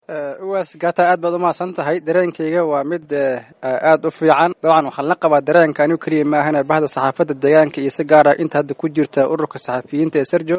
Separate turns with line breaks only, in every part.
Uwaas Gata, aad baad umahadsan tahay. Dareenkayga waa mid aad u fiican. Dabcan waxaan la qabaa dareenka anigu keliya maahane bahda saxaafadda deegaanka iyo si gaara inta hadda ku jirta ururka saxafiyiinta ee Serjo,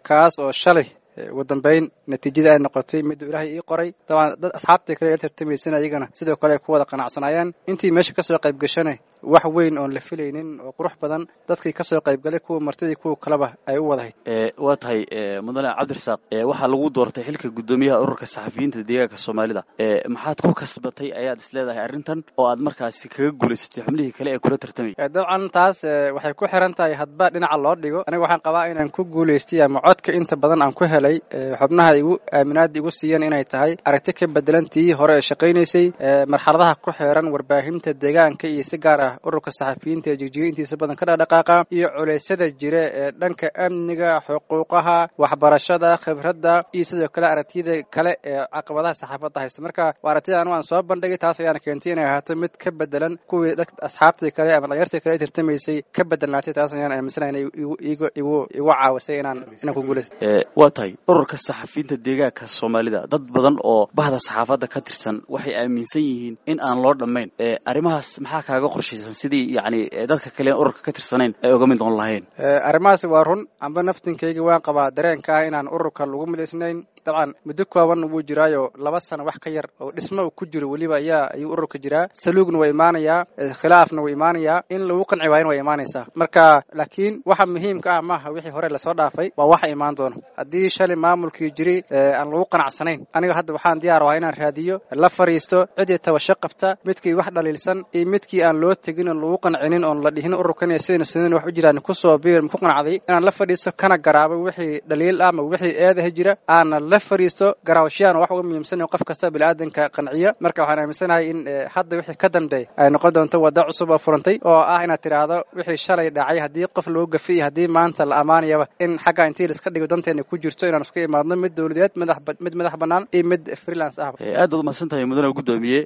kaas oo shalay ugu dambeyn natiijada ay noqotay miduu Ilaahay ii qoray. Dabcan dad asxaabtii kale la tartamaysana iyagana sidoo kale ay ku wada qanacsanaayeen. Intii meesha kasoo qayb gashana wax weyn oon la filaynin oo qurux badan dadkii kasoo qaybgalay, kuwa martidii kuwa kaleba ay u wadahayd.
Waa tahay, mudane Cabdirasaaq, waxaa lagu doortay xilka guddoomiyaha ururka saxafiyiinta deegaanka Soomaalida. Maxaad ku kasbatay ayaad is leedahay arrintan oo aad markaasi kaga guulaysatay xubnihii kale ee kula tartamayay?
Dabcan taas waxay ku xiran tahay hadba dhinaca loo dhigo. Aniga waxaan qabaa inaan ku guulaystay ama codka inta badan aan ku helay xubnaha igu aaminaada igu siiyeen inay tahay aragti ka bedelan tii hore ee shaqaynaysay, marxaladaha ku xeeran warbaahinta deegaanka iyo si gaar ah ururka saxafiyiinta ee Jigjiga intiisa badan ka dhaqdhaqaaqa, iyo culeysyada jira ee dhanka amniga, xuquuqaha, waxbarashada, khibradda iyo sidoo kale aragtiyada kale ee caqabadaha saxaafadda haysta. Marka waa aragtida anu aan soo bandhigay, taas ayaana keentay inay ahaato mid ka bedelan kuwii asxaabtii kale ama dhalinyartii kale ay tartamaysay ka bedelnaatay. Taas ayaan aaminsanahay inay igu igu igu caawisay inaan ku guulaysto.
Waa tahay, ururka saxafiyiinta deegaanka Soomaalida dad badan oo bahda saxaafadda ka tirsan waxay aaminsan yihiin in aan loo dhammayn. Arrimahaas maxaa kaaga qorshaysan sidii yacni dadka kale ururka ka tirsanayn ay uga mid noqon lahayn?
Arrimahaasi waa run, amba naftinkayga waan qabaa dareenka ah inaan ururka lagu midaysnayn. Dabcan muddo kooban wuu jiraayo, 2 sano wax ka yar oo dhismo uu ku jiro weliba ayaa ayuu ururka jiraa. Saluugna waa imaanayaa, khilaafna wuu imaanayaa, in lagu qanci waayana waa imaanaysaa. Marka laakiin waxa muhiimka ah maaha wixii hore lasoo dhaafay, waa waxa imaan doono. Haddii shalay maamulkii jiri aan lagu qanacsanayn, aniga hadda waxaan diyaar ahaa inaan raadiyo, la fariisto ciddii tabasho qabta, midkii wax dhaliilsan iyo midkii aan loo tegin oon lagu qancinin oon la dhihin ururkan iyo sidina sidin wax u jiraan kusoo biir ku qanacday, inaan la fadhiisto kana garaabo wixii dhaliil ah ama wixii eedaha jira aana la fariisto. Garaawashiyaan wax uga muhiimsan in qof kasta biniaadanka qanciya. Marka waxaan aaminsanahay in hadda wixii ka dambeey ay noqon doonto waddo cusub oo furantay, oo ah inaad tidhaahdo wixii shalay dhacay haddii qof loo gafiy, haddii maanta la ammaanayaba, in xagga intii laiska dhigo danteena ku jirto inaan isku imaadno mid dowladeed, madax mid madax bannaan iyo mid freelance ahba.
Aad baad umahadsan tahay, mudane guddoomiye.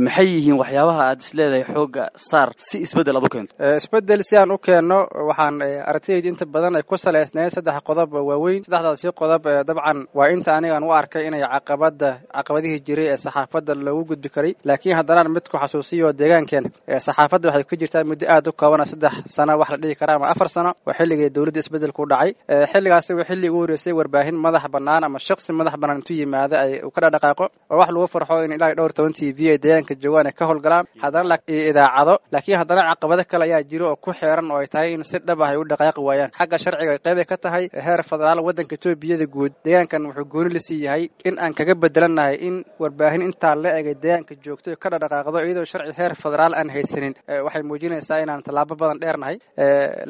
Maxay yihiin waxyaabaha aad is leedahay xoogga saar si isbeddel aad u keento?
Isbeddel si aan u keenno, waxaan aragtidayda inta badan ay ku salaysnayd saddex qodob waaweyn. Saddexdaasi qodob dabcan waa inta anigaan u arkay inay caqabada caqabadihii jiray ee saxaafadda loogu gudbi karay. Laakiin haddanaan mid ku xasuusiyo, deegaankeena saxaafadda waxay ku jirtaa muddo aad u koobana, 3 sano wax la dhihi karaa ama 4 sano, waa xilligii dowladda isbeddelku dhacay. Xilligaasi waa xilli ugu horreysay warbaahin madax bannaan ama shaqsi madax bannaan intuu yimaado ay ka dhaqdhaqaaqo, oo wax lagu farxo in ilaa dhowr toban TV ay deegaanka joogaan ay ka howlgalaan haddana iyo idaacado. Laakiin haddana caqabado kale ayaa jiro oo ku xeeran oo ay tahay in si dhab ah ay u dhaqaaqi waayaan. Xagga sharciga qeyb ay ka tahay heer federaal, waddanka Etoobiyada guud deegaankan wuxuu gooni la sii yahay in aan kaga bedelannahay in warbaahin intaa la egay deegaanka joogto ka dhaqdhaqaaqdo iyadoo sharci heer federaal aan haysanin. Waxay muujinaysaa inaan tallaabo badan dheernahay,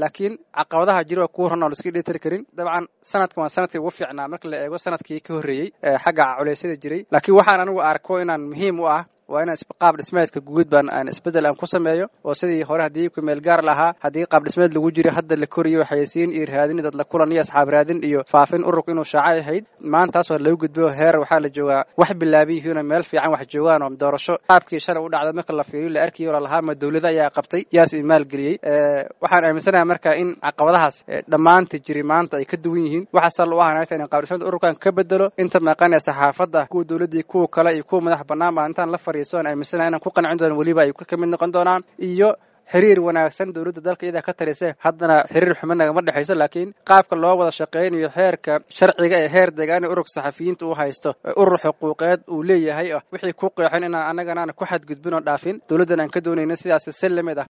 laakiin caqabadaha jiro waa kuwa run oo la iska dhitiri karin. Dabcan sanadkan waa sanadkii ugu fiicnaa marka la eego sanadkii ka horreeyey xagga culeysyada jiray. Laakiin waxaan anigu arko inaan muhiim u ah waa inaan qaab dhismeedka guud baan aan isbeddel aan ku sameeyo, oo sidii hore haddii ku meel gaar lahaa, haddii qaab dhismeed lagu jiro, hadda la koriyo xayeysiin iyo raadin dad la kulan iyo asxaab raadin iyo faafin ururku inuu shaaco ahayd. Maantaas waa lagu gudbo, heer waxaa la joogaa wax bilaaban yihiin oo meel fiican wax joogaan oo doorasho qaabkii shalay u dhacda marka la fiiriyo la arkayo lalahaa ma dowlada ayaa qabtay yaas maalgeliyey. Waxaan aaminsanahay marka in caqabadahaas dhammaanta jiri maanta ay ka duwan yihiin. Waxa sal u ahanayta in qaab dhismeedka ururkan ka bedelo inta maqan ee saxaafadda, kuwa dowladdii, kuwa kale iyo kuwa madax bannaan baa intaan la fariiso aan aaminsanahay inaan ku qancin doono, weliba ay ka mid noqon doonaan, iyo xiriir wanaagsan dowladda dalka iyadaa ka talisa. Haddana xiriir xumo nagama dhexayso, laakiin qaabka loo wada shaqeynayo, xeerka sharciga ee heer deegaan ee ururka saxafiyiinta uu haysto, urur xuquuqeed uu leeyahay, wixii ku qeexan inaan annagana aan ku xadgudbin oo dhaafin, dowladdan aan ka doonayno sidaas si lamid ah.